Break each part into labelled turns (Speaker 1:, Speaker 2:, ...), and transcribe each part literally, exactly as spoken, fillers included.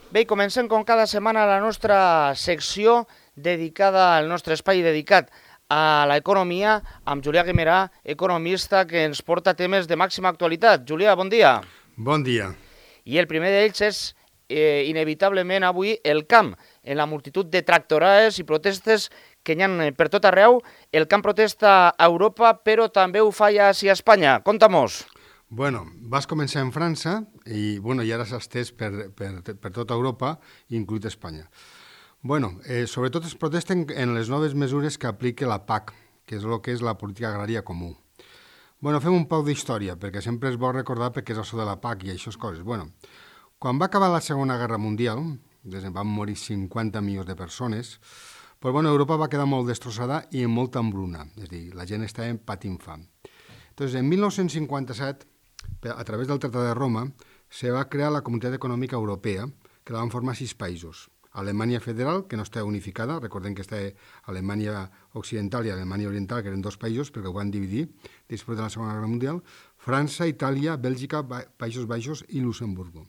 Speaker 1: Bé, i comencem com cada setmana la nostra secció dedicada, al nostre espai dedicat a l'economia, amb Julià Guimerà, economista, que ens porta temes de màxima actualitat. Julià, bon dia.
Speaker 2: Bon dia.
Speaker 1: I el primer d'ells és, eh, inevitablement, avui el camp. En la multitud de tractorades i protestes que hi ha per tot arreu, el camp protesta a Europa, però també ho fa ja a Espanya. Conta-mos.
Speaker 2: Bueno, vas començar en França i, bueno, i ara s'ha estès per, per, per tota Europa, inclús Espanya. Bueno, eh, sobretot es protesten en les noves mesures que aplica la P A C, que és el que és la política agrària comú. Bueno, fem un poc d'història, perquè sempre és bo recordar perquè és això de la P A C i aquestes coses. Bueno, quan va acabar la Segona Guerra Mundial, des van morir cinquanta milions de persones, pues, bueno, Europa va quedar molt destrossada i amb molta embruna, és a dir, la gent estava patint fam. Entonces, en mil nou-cents cinquanta-set, a través del Tractat de Roma, se va crear la Comunitat Econòmica Europea, que la van formar sis països. Alemanya Federal, que no està unificada, recordem que està Alemanya Occidental i Alemanya Oriental, que eren dos països, perquè ho van dividir després de la Segona Guerra Mundial, França, Itàlia, Bèlgica, Països Baixos i Luxemburgo,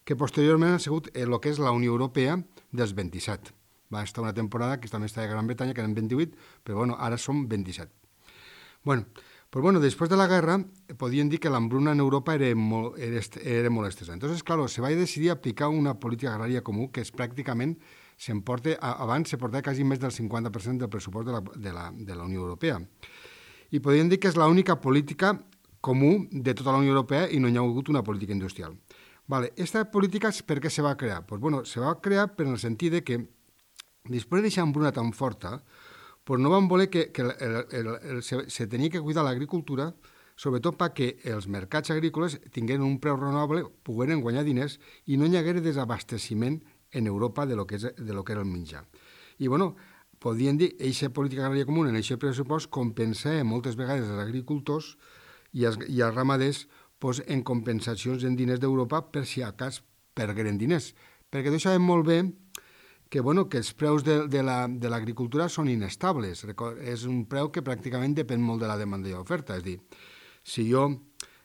Speaker 2: que posteriorment ha sigut el que és la Unió Europea dels vint-i-set. Va estar una temporada que també estava a Gran Bretanya, que eren vint-i-vuit, però bueno, ara som vint-i-set. Bueno, pues bueno, després de la guerra podien dir que l'hambruna en Europa era molt, era, era molt estesa. Entonces, claro, se va decidir aplicar una política agrària comú que és pràcticament, s'emporta, abans se portava quasi més del cinquanta per cent del pressupost de la, de la, de la Unió Europea. I podien dir que és l'única política comú de tota la Unió Europea i no hi ha hagut una política industrial. Vale, esta política per què se va crear? Pues bueno, se va crear per el sentit de que després d'aquesta hambruna tan forta, pues no van voler que, que el, el, el, se, se tenia que cuidar l'agricultura, sobretot perquè els mercats agrícoles tingueren un preu raonable, pogueren guanyar diners i no hi haguera desabasteciment en Europa de lo que, és, de lo que era el menjar. I, bueno, podien dir, eixa política agrària comuna, en aquest pressupost, compensava moltes vegades els agricultors i els, i els ramaders pues, en compensacions en diners d'Europa per si a cas pergueren diners. Perquè tots sabem molt bé que, bueno, que els preus de, de l'agricultura la, són inestables. És un preu que pràcticament depèn molt de la demanda i l'oferta. És a dir, si jo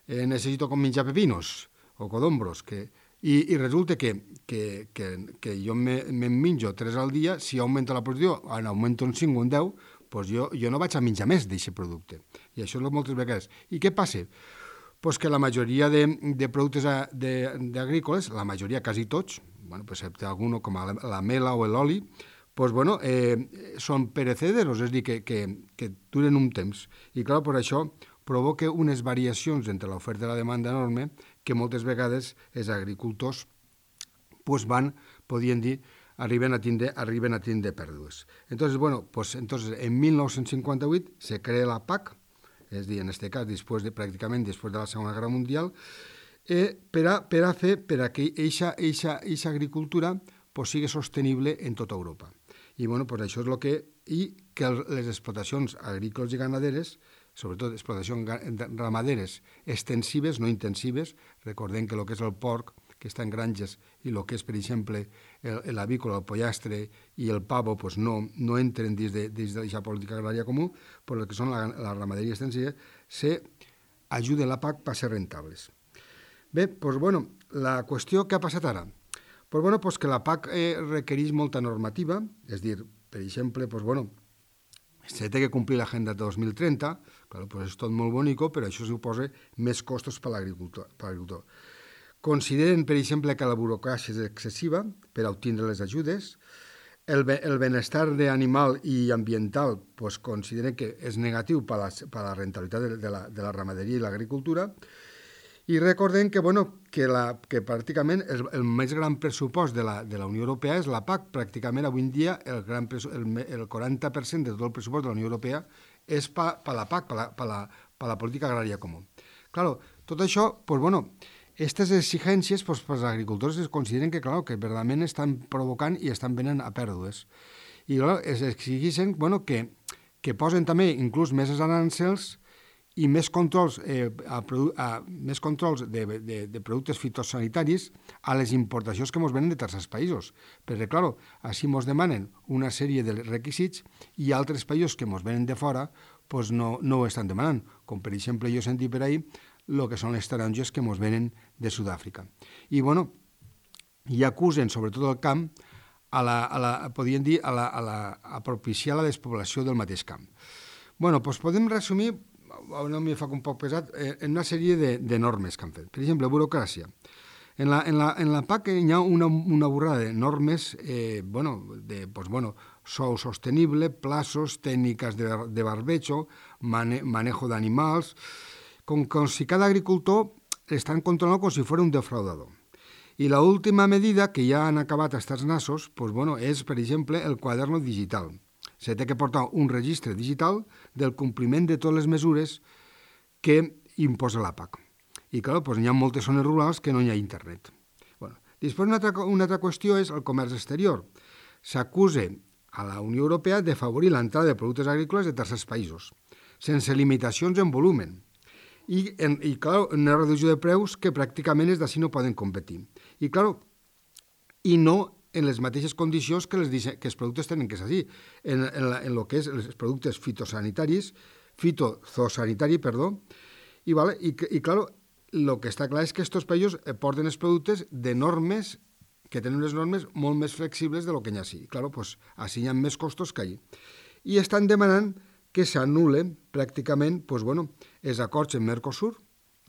Speaker 2: eh, necessito com menjar pepinos o codombros, que, i, i resulta que, que, que, que jo me'n me menjo tres al dia, si augmenta la producció, en augmenta un cinc o un deu, doncs jo, jo no vaig a menjar més d'aquest producte. I això és moltes vegades. I què passa? Pues que la majoria de, de productes agrícoles, la majoria, quasi tots, bueno, excepte alguno com la, la mela o l'oli, pues, bueno, eh, són perecederos, és a dir, que, que, que duren un temps. I, clar, per això provoca unes variacions entre l'oferta i la demanda enorme que moltes vegades els agricultors pues, van, podien dir, arriben a tindre, arriben a tindre pèrdues. Entonces, bueno, pues, entonces, en mil nou-cents cinquanta-vuit se crea la P A C, és a dir, en aquest cas, després de, pràcticament després de la Segona Guerra Mundial, eh, per, a, per a fer per a que aquesta agricultura pues, sigui sostenible en tota Europa. I bueno, pues, això és el que... I que les explotacions agrícoles i ganaderes, sobretot explotacions ramaderes extensives, no intensives, recordem que el que és el porc, que està en granges, i el que és, per exemple, l'avícola, el pollastre i el pavo, pues no, no entren dins d'aquesta política agrària comú, però el que són la, la ramaderia extensiva, se ajuda la P A C per ser rentables. Bé, doncs, bueno, la qüestió que ha passat ara? Doncs, bueno, doncs que la P A C eh, requereix molta normativa, és dir, per exemple, doncs, bueno, se té que complir l'agenda de dos mil trenta, clar, doncs és tot molt bonico, però això suposa més costos per l'agricultor. Consideren, per exemple, que la burocràcia és excessiva per obtenir les ajudes, el, el benestar animal i ambiental doncs, consideren que és negatiu per la, per la rentabilitat de, de, la, de la ramaderia i l'agricultura, i recordem que, bueno, que, la, que pràcticament el, el més gran pressupost de la, de la Unió Europea és la P A C. Pràcticament avui en dia el, gran, el, el quaranta per cent de tot el pressupost de la Unió Europea és per pa la P A C, per la, pa la, pa la política agrària comú. Claro, tot això, pues, bueno, aquestes exigències pues, per als agricultors es consideren que, claro, que verdaderament estan provocant i estan venent a pèrdues. I claro, es exigeixen bueno, que, que posen també inclús més arancels i més controls, eh, a, a, més controls de, de, de productes fitosanitaris a les importacions que ens venen de tercers països. Perquè, clar, així ens demanen una sèrie de requisits i altres països que ens venen de fora pues no, no ho estan demanant. Com, per exemple, jo he sentit per ahir el que són les taronges que ens venen de Sud-àfrica. I, bueno, i acusen, sobretot el camp, a la, a la, podríem dir, a, la, a, la, a propiciar la despoblació del mateix camp. Bueno, doncs podem resumir, no m'hi fa un poc pesat, en una sèrie de, de normes que han fet. Per exemple, burocràcia. En la, en la, en la P A C hi ha una, una borrada de normes, eh, bueno, de, pues, bueno, sou sostenible, plazos, tècniques de, de barbecho, mane, manejo d'animals, com, com si cada agricultor estan controlant com si fos un defraudador. I l'última medida, que ja han acabat estats nassos, pues, bueno, és, per exemple, el quaderno digital. Se té que portar un registre digital del compliment de totes les mesures que imposa la P A C. I, clar, doncs, hi ha moltes zones rurals que no hi ha internet. Bueno, després, una altra, una altra qüestió és el comerç exterior. S'acusa a la Unió Europea de favorir l'entrada de productes agrícoles de tercers països, sense limitacions en volumen. I, en, i clar, una reducció de preus que pràcticament és d'ací no poden competir. I, clar, i no en les mateixes condicions que, les, que els productes tenen que ser així, en, en, la, en lo que és els productes fitosanitaris, fitozosanitari, perdó, i, vale, i, i clar, el que està clar és que aquests països porten els productes de normes que tenen unes normes molt més flexibles de lo que hi ha així. I, clar, doncs, així hi ha més costos que allà. I estan demanant que s'anul·len pràcticament doncs, bueno, els acords en Mercosur,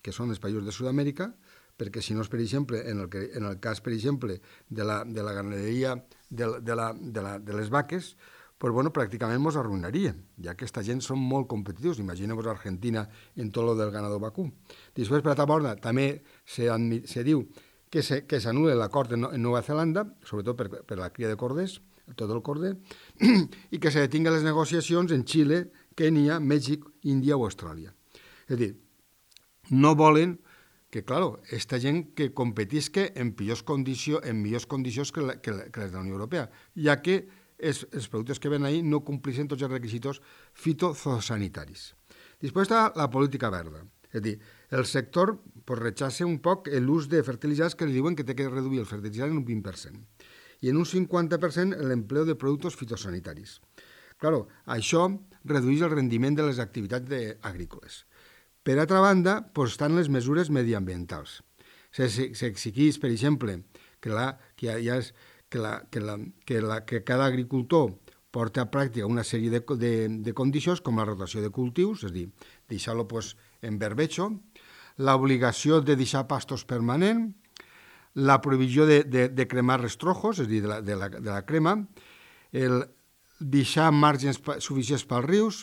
Speaker 2: que són els països de Sud-amèrica, perquè si no és, per exemple, en el, que, en el cas, per exemple, de la, de la ganaderia de, de, la, de, la, de les vaques, pues, bueno, pràcticament ens arruïnaria, ja que aquesta gent són molt competitius. Imagineu-vos Argentina en tot el del ganado vacú. Després, per altra banda, també se, se diu que s'anul·la l'acord en, en Nova Zelanda, sobretot per, per la cria de corders, tot el corder, i que se detinguen les negociacions en Xile, Kènia, Mèxic, Índia o Austràlia. És a dir, no volen que, clar, aquesta gent que competisca en pitjors condicions, en millors condicions que, la, que, la, que les de la Unió Europea, ja que els, els productes que ven ahí no complixen tots els requisits fitosanitaris. Després està la política verda. És a dir, el sector pues, rechaça un poc l'ús de fertilitzants que li diuen que té que reduir el fertilitzant en un vint per cent i en un cinquanta per cent l'empleo de productes fitosanitaris. Claro, això redueix el rendiment de les activitats de, agrícoles. Per altra banda, pues, estan les mesures mediambientals. S'exigeix, per exemple, que, la, que, ja és, que, la, que, la, que, la, que cada agricultor porta a pràctica una sèrie de, de, de condicions, com la rotació de cultius, és a dir, deixar-lo pues, en berbecho, l'obligació de deixar pastos permanent, la prohibició de, de, de cremar restrojos, és a dir, de la, de la, de la crema, el deixar marges suficients pels rius,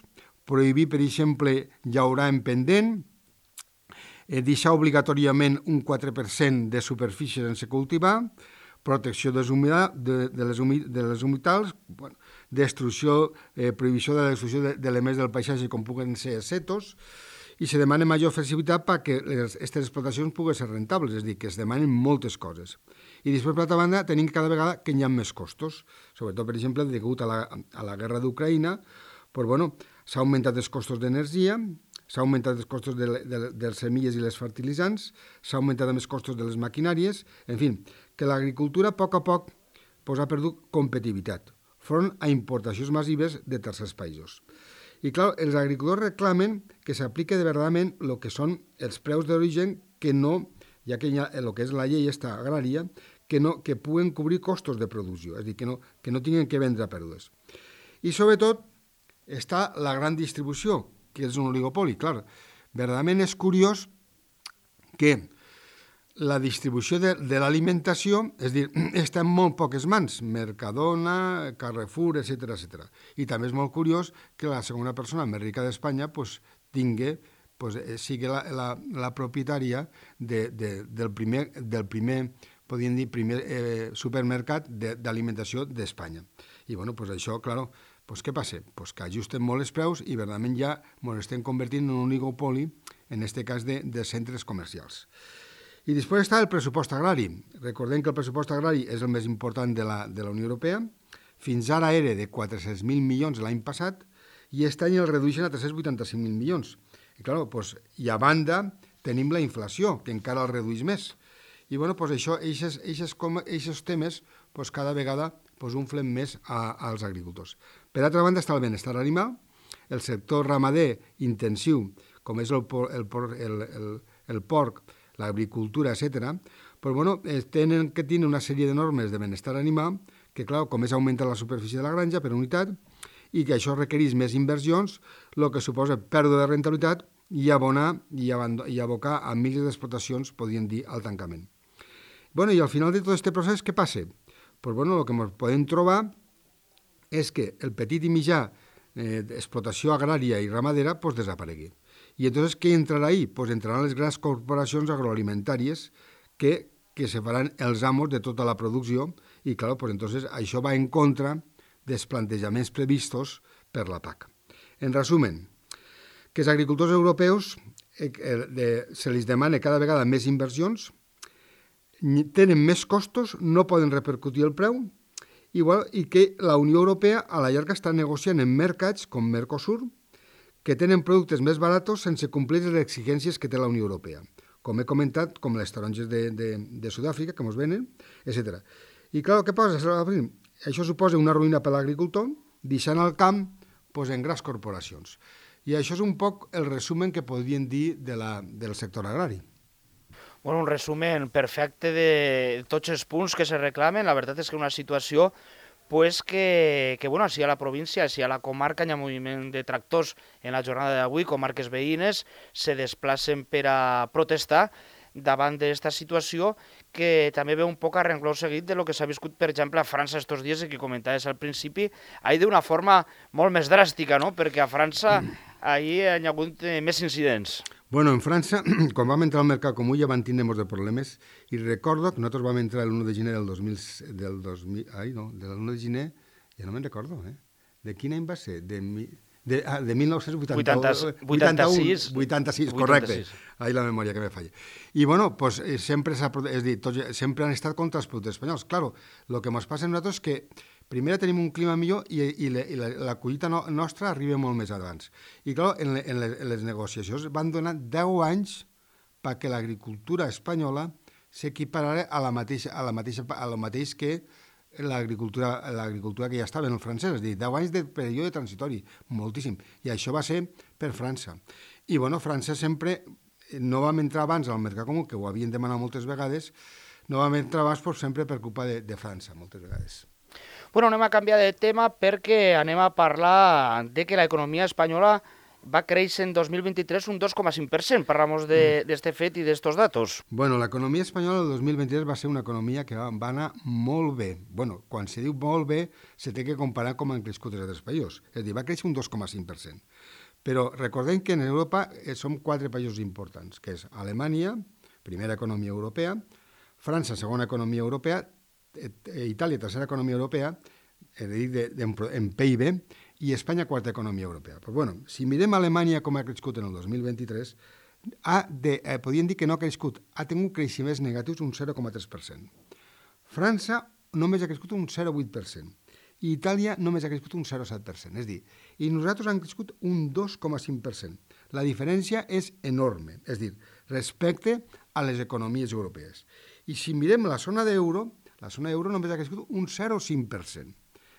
Speaker 2: prohibir, per exemple, llaurar en pendent, eh, deixar obligatòriament un quatre per cent de superfície sense cultivar, protecció de, de, de, les, humi, de les humitals, bueno, destrucció, eh, prohibició de la destrucció d'elements del paisatge com puguen ser setos, i se demana major flexibilitat perquè aquestes explotacions puguen ser rentables, és a dir, que es demanen moltes coses. I després, per altra banda, tenim cada vegada que hi ha més costos, sobretot, per exemple, degut a la, a la guerra d'Ucraïna, pues, bueno, s'ha augmentat els costos d'energia, s'ha augmentat els costos de, de, de les semilles i les fertilitzants, s'ha augmentat els costos de les maquinàries, en fi, que l'agricultura a poc a poc pues, ha perdut competitivitat front a importacions massives de tercers països. I clar, els agricultors reclamen que s'aplique de verdament el que són els preus d'origen que no, ja que hi ha el que és la llei esta agrària, que, no, que puguen cobrir costos de producció, és a dir, que no, que no tinguin que vendre pèrdues. I sobretot està la gran distribució, que és un oligopoli. Clar, verdaderament és curiós que la distribució de, de l'alimentació, és a dir, està en molt poques mans, Mercadona, Carrefour, etcètera, etcètera. I també és molt curiós que la segona persona més rica d'Espanya pues, tingui, pues, sigui la, la, la propietària de, de, del primer, del primer, podríem dir, primer eh, supermercat d'alimentació d'Espanya. I bueno, pues això, claro, pues què passa? Pues que ajusten molt els preus i verdaderament ja ens estem convertint en un oligopoli, en aquest cas de, de centres comercials. I després està el pressupost agrari. Recordem que el pressupost agrari és el més important de la, de la Unió Europea. Fins ara era de quatre-cents mil milions l'any passat i aquest any el redueixen a tres-cents vuitanta-cinc mil milions. I, clar, doncs, i a banda tenim la inflació, que encara el redueix més. I bueno, doncs això, aquests temes doncs, cada vegada doncs, unflen més a, als agricultors. Per altra banda està el benestar animal, el sector ramader intensiu, com és el, el, el, el, el porc, l'agricultura, etcètera, pues, bueno, eh, tenen que tenir una sèrie de normes de benestar animal que, clar, com és augmentar la superfície de la granja per unitat i que això requereix més inversions, el que suposa pèrdua de rentabilitat i abonar i, i abocar a milers d'explotacions, podríem dir, al tancament. Bueno, i al final de tot aquest procés, què passa? Pues, bueno, el que ens podem trobar és que el petit i mitjà eh, explotació agrària i ramadera pues, desaparegui. I entonces, què entrarà ahí? Pues entraran les grans corporacions agroalimentàries que, que se faran els amos de tota la producció i, clar, pues, entonces, això va en contra dels plantejaments previstos per la P A C. En resumen, que els agricultors europeus eh, eh, se li demana cada vegada més inversions, tenen més costos, no poden repercutir el preu, igual, i que la Unió Europea a la llarga està negociant en mercats com Mercosur que tenen productes més barats sense complir les exigències que té la Unió Europea, com he comentat, com les taronges de, de, de Sud-àfrica que ens venen, etcètera. I clar, què posa? Això suposa una ruïna per l'agricultor, deixant el camp pues, en grans corporacions. I això és un poc el resumen que podríem dir de la, del sector agrari.
Speaker 1: Bueno, un resumen perfecte de tots els punts que se reclamen. La veritat és que una situació pues, que, que bueno, si a la província, si a la comarca hi ha moviment de tractors en la jornada d'avui, comarques veïnes se desplacen per a protestar davant d'aquesta situació que també ve un poc a rengló seguit de lo que s'ha viscut, per exemple, a França estos dies i que comentaves al principi, ahir d'una forma molt més dràstica, no? Perquè a França ahir hi ha hagut més incidents.
Speaker 2: Bueno, en França, quan vam entrar al mercat comú ja van tindre molts de problemes i recordo que nosaltres vam entrar l'u de gener del dos mil... Del dos mil ai, no, de l'u de gener, ja no me'n recordo, eh? De quin any va ser? De, de, ah, de mil nou-cents vuitanta-sis. vuitanta-sis, correcte. Ahí la memòria que me falla. I, bueno, pues, sempre, és dir, tots, sempre han estat contra els productes espanyols. Claro, el que ens passa a nosaltres és que primer tenim un clima millor i, i, la, i la, la collita no, nostra arriba molt més abans. I, clar, en, en, les, en les negociacions van donar deu anys perquè l'agricultura espanyola s'equiparara a la mateixa, a la mateixa, a la mateix que l'agricultura, l'agricultura que ja estava en el francès, és a dir, deu anys de període transitori, moltíssim. I això va ser per França. I, bueno, França sempre, no vam entrar abans al mercat comú, que ho havien demanat moltes vegades, no vam entrar abans per, sempre per culpa de, de França, moltes vegades.
Speaker 1: Bueno, anem a canviar de tema perquè anem a parlar de que l'economia espanyola va créixer en dos mil vint-i-tres un dos coma cinc per cent. Parlamos d'aquest fet i d'estos datos.
Speaker 2: Bueno, l'economia espanyola del dos mil vint-i-tres va ser una economia que va, va anar molt bé. Bueno, quan se diu molt bé, se té que comparar com han crescut els altres països. És a dir, va créixer un dos coma cinc per cent. Però recordem que en Europa som quatre països importants, que és Alemanya, primera economia europea, França, segona economia europea, Itàlia, tercera economia europea, de, de, de, en P I B, i Espanya, quarta economia europea. Pues bueno, si mirem Alemanya com ha crescut en el dos mil vint-i-tres, ha de, eh, podríem dir que no ha crescut, ha tingut creixements negatius un zero coma tres per cent. França només ha crescut un zero coma vuit per cent. I Itàlia només ha crescut un zero coma set per cent. És a dir, i nosaltres hem crescut un dos coma cinc per cent. La diferència és enorme, és a dir, respecte a les economies europees. I si mirem la zona d'euro, la zona euro només ha crescut un zero coma cinc per cent.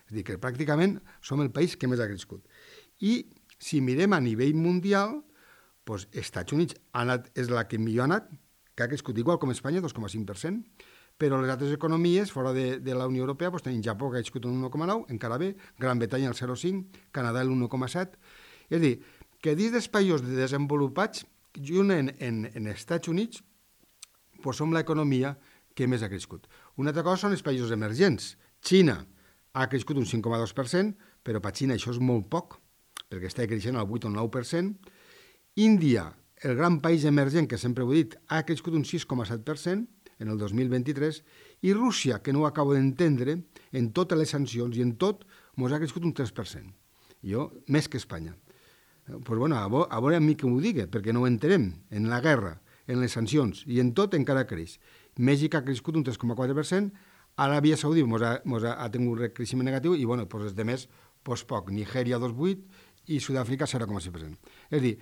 Speaker 2: És a dir, que pràcticament som el país que més ha crescut. I si mirem a nivell mundial, doncs Estats Units ha anat, és la que millor ha anat, que ha crescut igual com Espanya, dos coma cinc per cent, però les altres economies fora de, de la Unió Europea doncs tenim Japó, que ha crescut un un coma nou, encara bé, Gran Bretanya el zero coma cinc, Canadà el un coma set. És a dir, que dins dels països desenvolupats, junt en, en, en Estats Units, doncs som l'economia que més ha crescut. Una altra cosa són els països emergents. Xina ha crescut un cinc coma dos per cent, però per Xina això és molt poc, perquè està creixent al vuit o nou per cent. Índia, el gran país emergent, que sempre ho he dit, ha crescut un sis coma set per cent en el dos mil vint-i-tres, i Rússia, que no ho acabo d'entendre, en totes les sancions i en tot, ens ha crescut un tres per cent. Jo, més que Espanya. Pues bueno, a veure a mi que m'ho digui, perquè no ho entenem. En la guerra, en les sancions, i en tot encara creix. Mèxic ha crescut un tres coma quatre per cent, Aràbia Saudí mos ha, mos ha, ha tingut un creixement negatiu i, bueno, doncs els demés, doncs poc. Nigèria dos coma vuit i Sud-àfrica zero coma sis per cent. És a dir,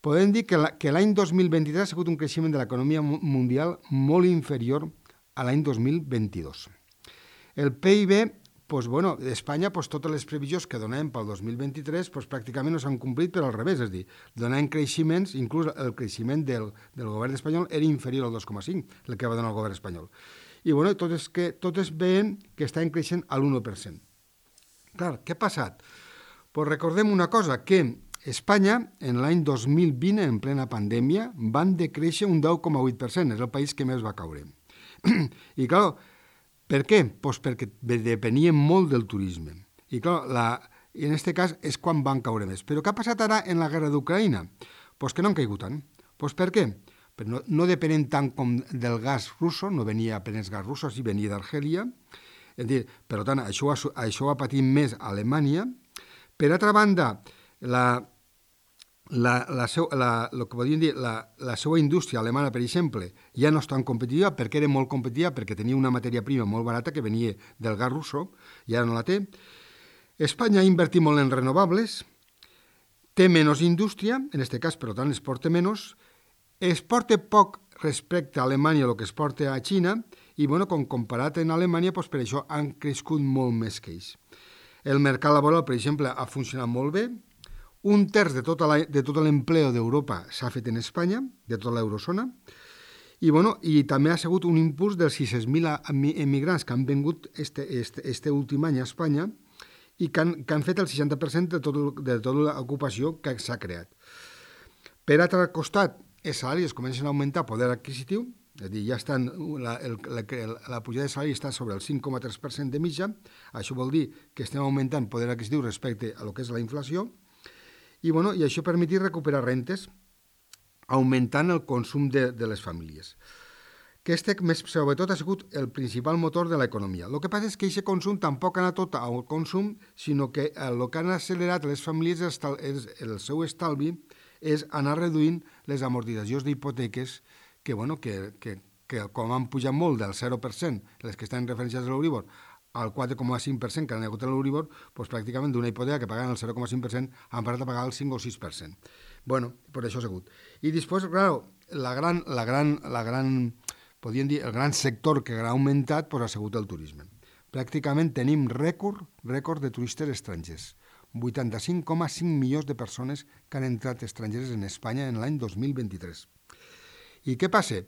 Speaker 2: podem dir que, la, que l'any dos mil vint-i-tres ha sigut un creixement de l'economia mundial molt inferior a l'any dos mil vint-i-dos. El P I B pues, bueno, Espanya, pues, totes les previsions que donem pel dos mil vint-i-tres pues, pràcticament no s'han complit, però al revés, és a dir, donem creixements, inclús el creixement del, del govern espanyol era inferior al dos coma cinc, el que va donar el govern espanyol. I bueno, totes, que, totes veien que estaven creixent a l'u per cent. Clar, què ha passat? Pues recordem una cosa, que Espanya, en l'any dos mil vint, en plena pandèmia, van decréixer un deu coma vuit per cent, és el país que més va caure. I clar, per què? Pues perquè depenien molt del turisme. I clar, la, en aquest cas és quan van caure més. Però què ha passat ara en la guerra d'Ucraïna? Pues que no han caigut tant. Pues per què? Però no, no depenen tant com del gas russo, no venia apenas gas russo, sí venia d'Argèlia. És dir, per tant, això, això ha patit més a Alemanya. Per altra banda, la, la, la, seu, la, lo que podríem dir, la, la seva indústria alemana, per exemple, ja no és tan competitiva perquè era molt competitiva, perquè tenia una matèria prima molt barata que venia del gas russo, i ara no la té. Espanya ha invertit molt en renovables, té menys indústria, en aquest cas, per tant, exporta menys, exporta poc respecte a Alemanya el que exporta a Xina, i, bueno, com comparat en Alemanya, doncs per això han crescut molt més que ells. El mercat laboral, per exemple, ha funcionat molt bé. Un terç de tota la, de tot l'empleo d'Europa s'ha fet en Espanya, de tota l'eurozona, i, bueno, i també ha sigut un impuls dels sis-cents mil emigrants que han vingut este, este, este últim any a Espanya i que han, que han fet el seixanta per cent de, tot, de tota l'ocupació que s'ha creat. Per altre costat, els salaris comencen a augmentar poder adquisitiu, és a dir, ja estan, la, el, la, la pujada de salari està sobre el cinc coma tres per cent de mitja, això vol dir que estem augmentant poder adquisitiu respecte a lo que és la inflació, i, bueno, i això permetir recuperar rentes, augmentant el consum de, de les famílies. Aquest, més, sobretot, ha sigut el principal motor de l'economia. El que passa és que aquest consum tampoc ha anat tot al consum, sinó que el que han accelerat les famílies és, és el seu estalvi, és anar reduint les amortitzacions d'hipoteques que, bueno, que, que, que com han pujat molt del zero per cent, les que estan referenciades a l'Euribor, al quatre coma cinc per cent que han hagut a l'Euribor, doncs pràcticament d'una hipoteca que pagaven el zero coma cinc per cent han parat a pagar el cinc o sis per cent. Bueno, per això ha sigut. I després, clar, la gran, la gran, la gran, podríem dir, el gran sector que ha augmentat doncs, ha sigut el turisme. Pràcticament tenim rècord, rècord de turistes estrangers. vuitanta-cinc coma cinc milions de persones que han entrat estrangeres en Espanya en l'any dos mil vint-i-tres. I què passa?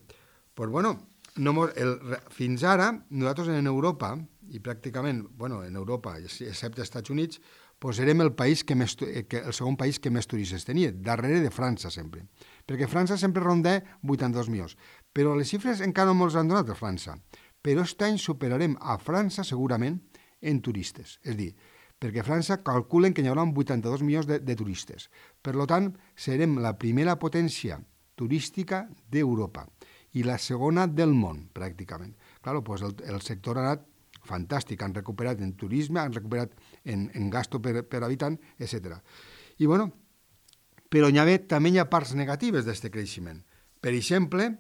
Speaker 2: Pues, bueno, no, el, fins ara, nosaltres en Europa, i pràcticament, bueno, en Europa, excepte als Estats Units, pues érem el, país que més, que, el segon país que més turistes tenia, darrere de França sempre. Perquè França sempre ronda vuitanta-dos milions. Però les xifres encara no ens han donat a França. Però aquest any superarem a França segurament en turistes. És a dir, perquè a França calculen que hi haurà vuitanta-dos milions de, de turistes. Per tant, serem la primera potència turística d'Europa i la segona del món, pràcticament. Clar, doncs el, el sector ha anat fantàstic, han recuperat en turisme, han recuperat en, en gasto per, per habitant, etcètera. I, bueno, però hi ha, també hi ha parts negatives d'aquest creixement. Per exemple,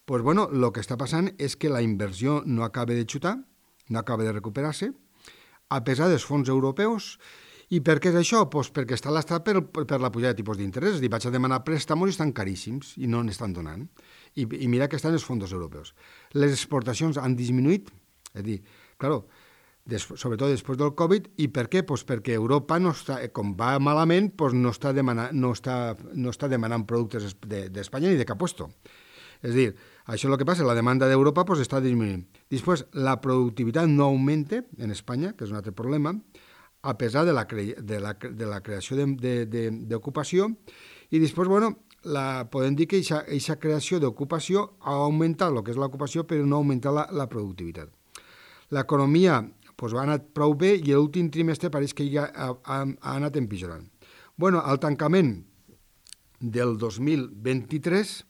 Speaker 2: pues, bueno, el que està passant és que la inversió no acaba de xutar, no acaba de recuperar-se, a pesar dels fons europeus. I per què és això? Pues perquè està l'estat per, per la pujada de tipus d'interès. És a dir, vaig a demanar préstamos i estan caríssims i no n'estan donant. I, I mira que estan els fons europeus. Les exportacions han disminuït, és a dir, claro, des, sobretot després del Covid. I per què? Pues perquè Europa, no està, com va malament, pues no, està demanant, no, està, no està demanant productes d'Espanya de, ni de cap puesto. És a dir, això és el que passa, la demanda d'Europa pues, està disminuint. Després, la productivitat no augmenta en Espanya, que és un altre problema, a pesar de la, cre de la, de la creació d'ocupació, i després, bueno, la, podem dir que aquesta creació d'ocupació ha augmentat el que és l'ocupació, però no ha augmentat la, la productivitat. L'economia pues, ha anat prou bé i l'últim trimestre pareix que ja ha, ha, ha anat empitjorant. Bueno, al tancament del dos mil vint-i-tres,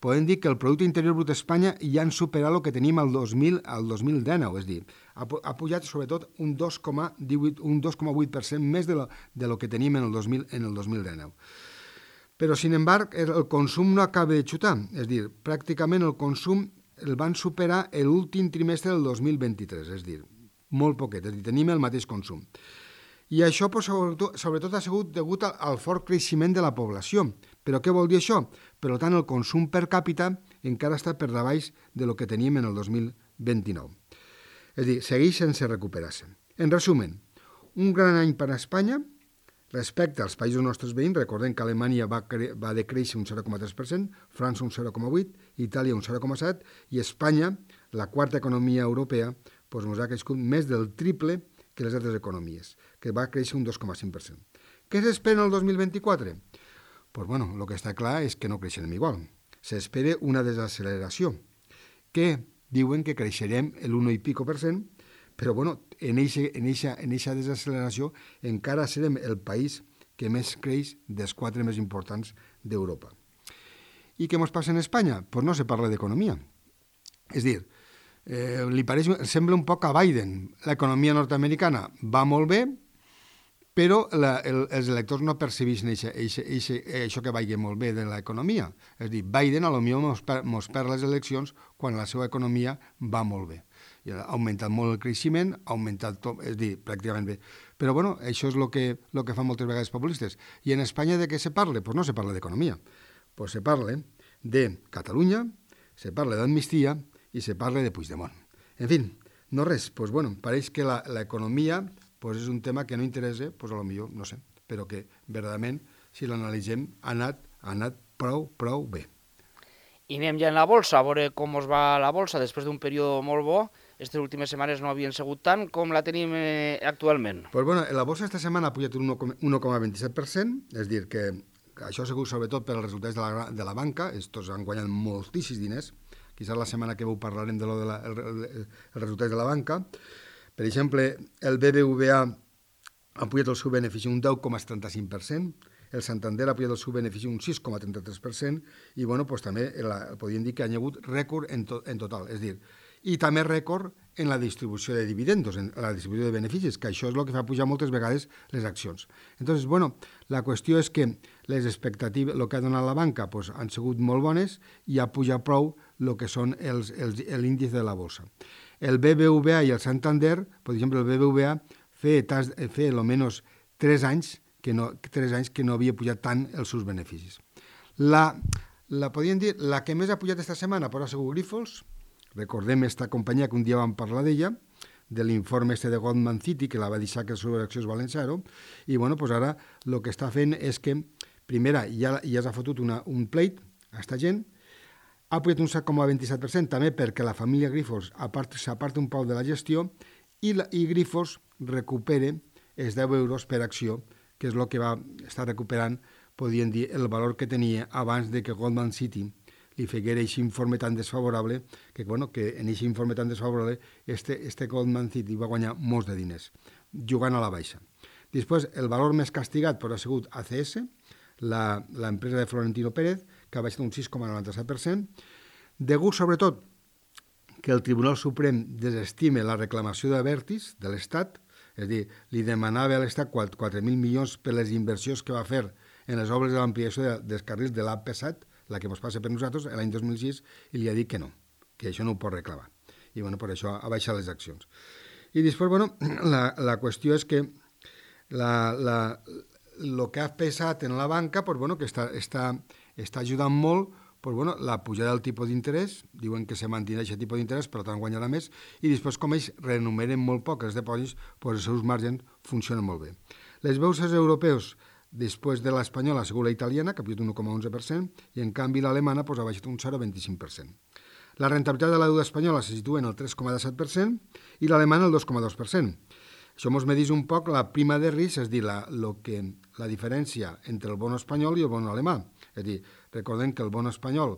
Speaker 2: podem dir que el Producte Interior Brut d'Espanya ja han superat el que tenim al dos mil dinou, és a dir, ha, ha pujat sobretot un dos coma vuit per cent més de lo, de lo que tenim en el, dos mil, en el dos mil dinou. Però, sin embargo, el consum no acaba de xutar, és a dir, pràcticament el consum el van superar l'últim trimestre del dos mil vint-i-tres, és a dir, molt poquet, és a dir, tenim el mateix consum. I això, pues, sobretot, sobretot, ha sigut degut al, al fort creixement de la població. Però què vol dir això? Per tant, el consum per càpita encara està per davall de lo que teníem en el dos mil vint-i-nou. És a dir, segueix sense recuperar-se. En resumen, un gran any per a Espanya. Respecte als països nostres veïns, recordem que Alemanya va, cre va decréixer un zero coma tres per cent, França un zero coma vuit per cent, Itàlia un zero coma set per cent i Espanya, la quarta economia europea, doncs ens ha crescut més del triple que les altres economies, que va créixer un dos coma cinc per cent. Què s'espera el dos mil vint-i-quatre? Pues bueno, el que està clar és que no creixerem igual. S'espera una desacceleració, que diuen que creixerem l'un i pico per cent, però bueno, en aquesta en eixa desacceleració encara serem el país que més creix dels quatre més importants d'Europa. I què ens passa en Espanya? Doncs pues no se parla d'economia. És dir, eh, li pareix, sembla un poc a Biden. L'economia nord-americana va molt bé, però la, el, els electors no percebeixen eixa, eixa, eixa, això que vagi molt bé de l'economia. És dir, Biden potser mos, per, mos perd les eleccions quan la seva economia va molt bé. I ha augmentat molt el creixement, ha augmentat tot, és dir, pràcticament bé. Però bueno, això és el que, lo que fan moltes vegades populistes. I en Espanya de què se parla? Doncs pues no se parla d'economia. Pues se parla de Catalunya, se parla d'amnistia i se parla de Puigdemont. En fi, no res. Pues bueno, pareix que l'economia pues és un tema que no interessa, pues a lo millor, no sé, però que verdaderament, si l'analitzem, ha anat, ha anat prou, prou bé.
Speaker 1: I anem ja en la bolsa, a veure com us va la bolsa després d'un període molt bo. Aquestes últimes setmanes no havien sigut tant com la tenim eh, actualment.
Speaker 2: Pues bueno, la bolsa esta setmana ha pujat un un coma vint-i-set per cent, és dir, que això ha sigut sobretot per als resultats de la, de la banca, estos han guanyat moltíssims diners, quizás la setmana que veu parlarem de lo de la, el, el, el resultats de la banca. Per exemple, el B B V A ha pujat el seu benefici un deu coma setanta-cinc per cent, el Santander ha pujat el seu benefici un sis coma trenta-tres per cent i bueno, pues, també la, podríem dir que ha hagut rècord en, to, en total, és dir, i també rècord en la distribució de dividendos, en la distribució de beneficis, que això és el que fa pujar moltes vegades les accions. Entonces, bueno, la qüestió és que les expectatives, el que ha donat la banca, pues, han sigut molt bones i ha pujat prou el que són els, els, l'índice de la bolsa. El B B V A i el Santander, per exemple, el B B V A feia, feia almenys tres anys que no, tres anys que no havia pujat tant els seus beneficis. La, la, podríem dir, la que més ha pujat aquesta setmana pues, ha sigut Grifols. Recordem aquesta companyia que un dia vam parlar d'ella, de l'informe este de Goldman City, que la va deixar que les seves accions valen zero, i bueno, pues ara el que està fent és que, primera, ja, ja s'ha fotut una, un pleit a aquesta gent, ha pujat un set coma vint-i-set per cent també perquè la família Grifols s'aparta un poc de la gestió i, la, i Grifols recupera els deu euros per acció, que és el que va estar recuperant, podríem dir, el valor que tenia abans de que Goldman City li feguera aquest informe tan desfavorable, que, bueno, que en aquest informe tan desfavorable este, este Goldman City va guanyar molts de diners, jugant a la baixa. Després, el valor més castigat però ha sigut A C S, l'empresa de Florentino Pérez, que ha baixat un sis coma noranta-set per cent, degut sobretot que el Tribunal Suprem desestime la reclamació de Abertis, de l'Estat, és a dir, li demanava a l'Estat quatre mil milions per les inversions que va fer en les obres de l'ampliació de, dels carrils de l'A P set, la que ens passa per nosaltres, l'any dos mil sis, i li ha dit que no, que això no ho pot reclamar. I bueno, per això ha baixat les accions. I després, bueno, la, la qüestió és que la, la, el que ha pesat en la banca, pues, bueno, que està, està, està ajudant molt, pues, bueno, la pujada del tipus d'interès, diuen que se mantindrà aquest tipus d'interès, però tant guanyarà més, i després, com ells renumeren molt poc els dipòsits, pues, els seus margens funcionen molt bé. Les borses europeus, després de l'espanyola, ha sigut la italiana, que ha pujat un un coma onze per cent, i en canvi l'alemana pues, ha baixat un zero coma vint-i-cinc per cent. La rentabilitat de la deuda espanyola se situa en el tres coma disset per cent i l'alemana el dos coma dos per cent. Això ens medeix un poc la prima de risc, és a dir, la, lo que, la diferència entre el bono espanyol i el bono alemà. És a dir, recordem que el bono espanyol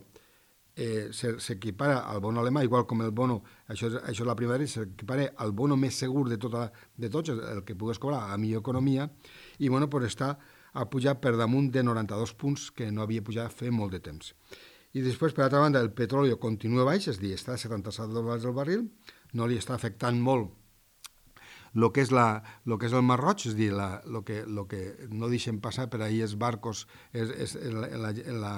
Speaker 2: eh, s'equipara al bono alemà, igual com el bono, això és, això és la prima de risc, s'equipara al bono més segur de, tota, de tots, el que pugues cobrar a millor economia, i bueno, pues està ha pujat per damunt de noranta-dos punts que no havia pujat fer molt de temps. I després, per altra banda, el petroli continua baix, és a dir, està a setanta-set dòlars el barril, no li està afectant molt el que és, la, lo que és el Mar Roig, és a dir, el que, lo que no deixen passar per ahir els barcos, és, és la, la, la,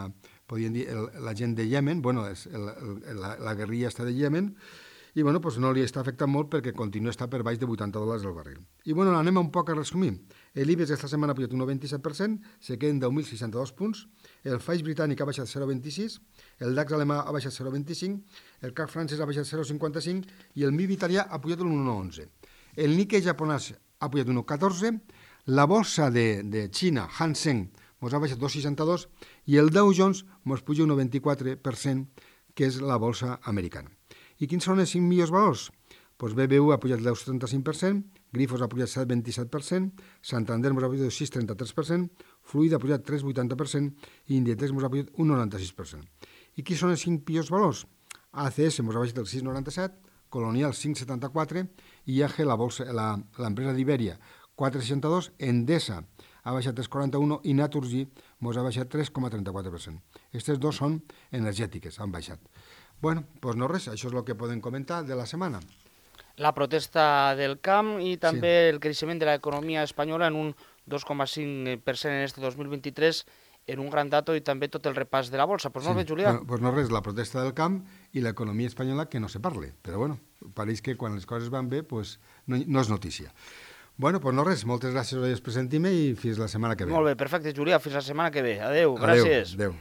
Speaker 2: podríem dir, el, la gent de Yemen, bueno, és el, el, la, la guerrilla està de Yemen, i bueno, pues no li està afectant molt perquè continua a estar per baix de vuitanta dòlars el barril. I bueno, anem un poc a resumir. L'Ibex aquesta setmana ha pujat un un coma vint-i-set per cent, se queden deu mil seixanta-dos punts, el F T S E britànic ha baixat zero coma vint-i-sis, el DAX alemà ha baixat zero coma vint-i-cinc, el C A C francès ha baixat zero coma cinquanta-cinc i el M I B italià ha pujat un un coma onze. el Nikkei japonès ha pujat un un coma catorze, la bolsa de, de Xina, Hang Seng, mos ha baixat dos coma seixanta-dos i el Dow Jones mos puja un un vint-i-quatre per cent, que és la bolsa americana. I quins són els cinc millors valors? Pues B B V ha pujat el deu coma setanta-cinc per cent, Grifols ha pujat set coma vint-i-set per cent, Santander mos ha pujat el sis coma trenta-tres per cent, Fluid ha pujat tres coma vuitanta per cent i Inditex mos ha pujat un noranta-sis per cent. I quins són els cinc pitjors valors? A C S mos ha baixat el sis coma noranta-set, Colonial cinc coma setanta-quatre, I A G, la bolsa, la, l'empresa d'Iberia, quatre coma seixanta-dos, Endesa ha baixat tres coma quaranta-un i Naturgy mos ha baixat tres coma trenta-quatre per cent. Aquestes dos són energètiques, han baixat. Bueno, doncs no res, això és el que podem comentar de la setmana.
Speaker 1: La protesta del camp i també sí. El creixement de l'economia espanyola en un dos coma cinc per cent en este dos mil vint-i-tres, en un gran dato i també tot el repàs de la bolsa. Doncs pues no
Speaker 2: sí.
Speaker 1: bé, Julià.
Speaker 2: Doncs pues no res, la protesta del camp i l'economia espanyola que no se parle. Però bueno, pareix que quan les coses van bé, pues no, no és notícia. Bueno, doncs pues no res, moltes gràcies per sentir-me i fins la setmana que ve.
Speaker 1: Molt bé, perfecte, Julià, fins la setmana que ve. Adéu,
Speaker 2: Adéu,
Speaker 1: gràcies.
Speaker 2: Adéu.